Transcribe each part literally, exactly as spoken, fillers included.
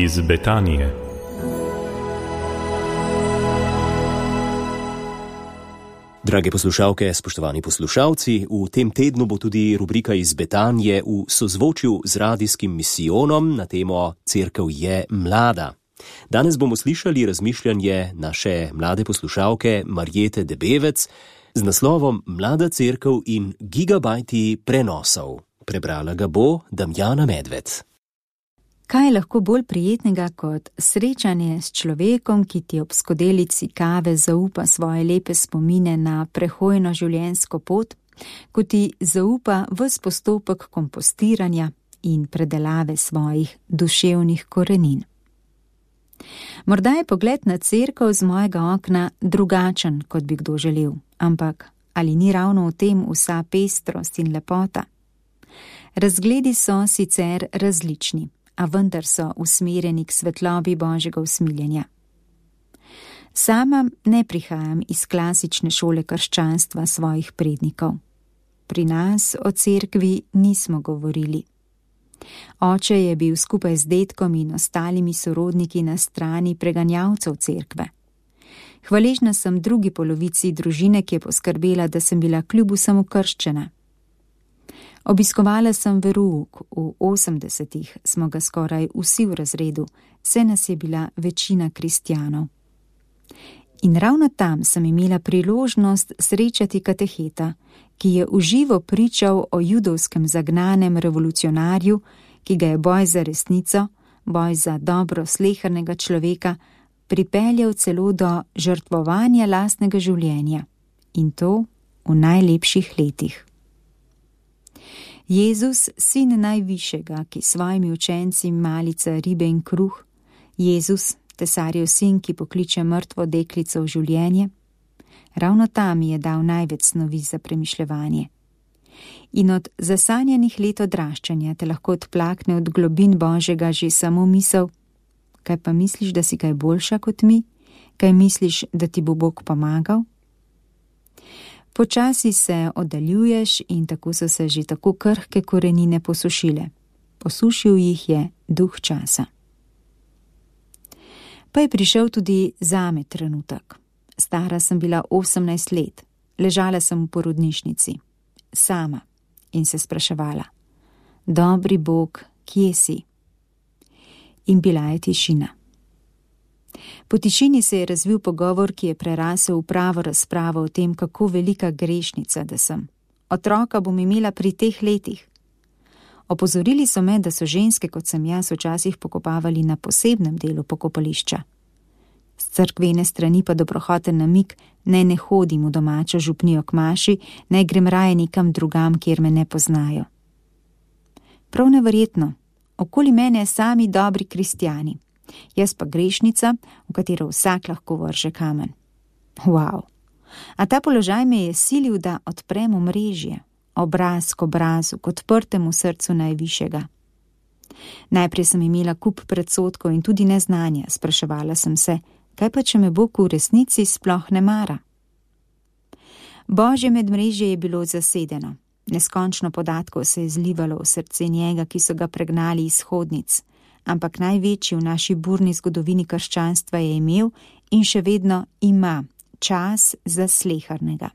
iz Betanije. Drage poslušalke, spoštovani poslušalci, v tem tednu bo tudi rubrika iz Betanije v sozvočju z radijskim misijonom na temo Cerkev je mlada. Danes bomo slišali razmišljanje naše mlade poslušalke Marjete Debevec z naslovom Mlada cerkev in gigabajti prenosov. Prebrala ga bo Damjana Medved. Kaj je lahko bolj prijetnega kot srečanje s človekom, ki ti ob skodelici kave zaupa svoje lepe spomine na prehojno življenjsko pot, ko ti zaupa ves postopek kompostiranja in predelave svojih duševnih korenin. Morda je pogled na cerkev z mojega okna drugačen, kot bi kdo želel, ampak ali ni ravno v tem vsa pestrost in lepota? Razgledi so sicer različni, a vendar so usmerjeni k svetlobi Božjega usmiljenja. Sama ne prihajam iz klasične šole krščanstva svojih prednikov. Pri nas o cerkvi nismo govorili. Oče je bil skupaj z dedkom in ostalimi sorodniki na strani preganjavcev cerkve. Hvaležna sem drugi polovici družine, ki je poskrbela, da sem bila kljub vsemu krščena. Obiskovala sem verouk, v osemdesetih smo ga skoraj vsi v razredu, saj nas je bila večina kristjanov. In ravno tam sem imela priložnost srečati kateheta, ki je v živo pričal o judovskem zagnanem revolucionarju, ki ga je boj za resnico, boj za dobro slehernega človeka, pripeljal celo do žrtvovanja lastnega življenja, in to v najlepših letih. Jezus, sin najvišjega, ki svojimi učenci malica ribe in kruh, Jezus, tesarjev sin, ki pokliče mrtvo deklico v življenje, ravno tam je dal največ snovi za premišljevanje. In od zasanjanih let odraščanja te lahko odplakne od globin Božjega že samo misel, kaj pa misliš, da si kaj boljša kot mi, kaj misliš, da ti bo Bog pomagal? Počasi se oddaljuješ in tako so se že tako krhke korenine posušile. Posušil jih je duh časa. Pa je prišel tudi zame trenutek. Stara sem bila osemnajst let, ležala sem v porodnišnici, sama, in se spraševala: Dobri Bog, kje si? In bila je tišina. Po tišini se je razvil pogovor, ki je prerasel v pravo razpravo o tem, kako velika grešnica da sem. Otroka bom imela pri teh letih. Opozorili so me, da so ženske, kot sem jaz, včasih pokopavali na posebnem delu pokopališča. Z cerkvene strani pa dobrohoten namig, naj ne hodim v domačo župnijo k maši, naj grem raje nekam drugam, kjer me ne poznajo. Prav neverjetno, okoli mene sami dobri kristjani. Jaz pa grešnica, v katero vsak lahko vrže kamen. Wow! A ta položaj me je silil, da odprem omrežje, obraz k obrazu, k odprtemu srcu najvišjega. Najprej sem imela kup predsodkov in tudi neznanja, spraševala sem se, kaj pa če me Bog v resnici sploh ne mara? Božje medmrežje je bilo zasedeno. Neskončno podatkov se je zlivalo v srce njega, ki so ga pregnali iz hodnic, ampak največji v naši burni zgodovini krščanstva je imel in še vedno ima čas za slehernega.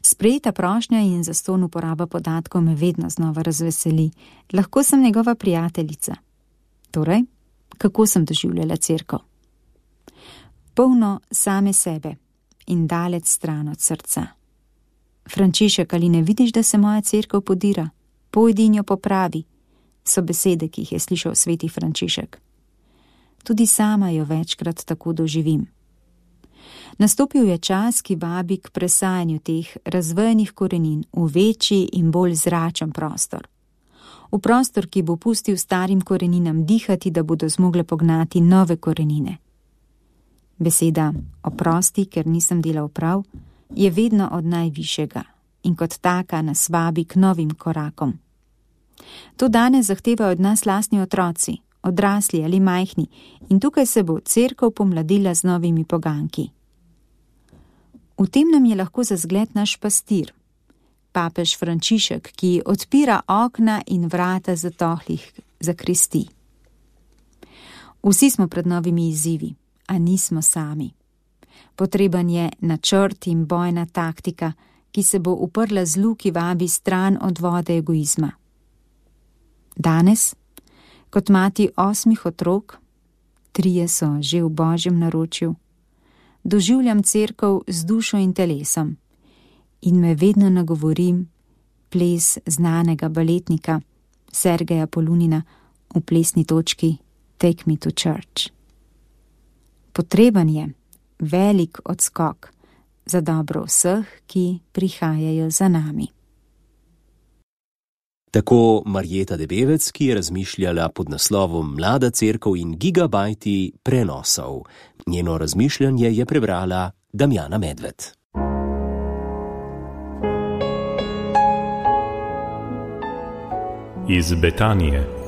Sprejeta prošnja in zastonj uporaba podatkov me vedno znova razveseli. Lahko sem njegova prijateljica. Torej, kako sem doživljala cerkev? Polno same sebe in daleč stran od srca. Frančišek, ali ne vidiš, da se moja cerkev podira? Pojdi in jo popravi, so besede, ki jih je slišal sveti Frančišek. Tudi sama jo večkrat tako doživim. Nastopil je čas, ki vabi k presajanju teh razvejenih korenin v večji in bolj zračen prostor. V prostor, ki bo pustil starim koreninam dihati, da bodo zmogle pognati nove korenine. Beseda oprosti, ker nisem delal prav, je vedno od najvišjega in kot taka nas vabi k novim korakom. To danes zahtevajo od nas lastni otroci, odrasli ali majhni, in tukaj se bo cerkev pomladila z novimi poganki. V tem nam je lahko za zgled naš pastir, papež Frančišek, ki odpira okna in vrata zatohlih zakristij. Vsi smo pred novimi izzivi, a nismo sami. Potreben je načrt in bojna taktika, ki se bo uprla zlu, ki vabi stran od vode egoizma. Danes, kot mati osmih otrok, trije so že v Božjem naročju, doživljam cerkev z dušo in telesom in me vedno nagovorim ples znanega baletnika Sergeja Polunina v plesni točki Take me to church. Potreben je velik odskok za dobro vseh, ki prihajajo za nami. Tako Marjeta Debevec, ki je razmišljala pod naslovom Mlada cerkev in gigabajti prenosov. Njeno razmišljanje je prebrala Damjana Medved. Iz Betanije.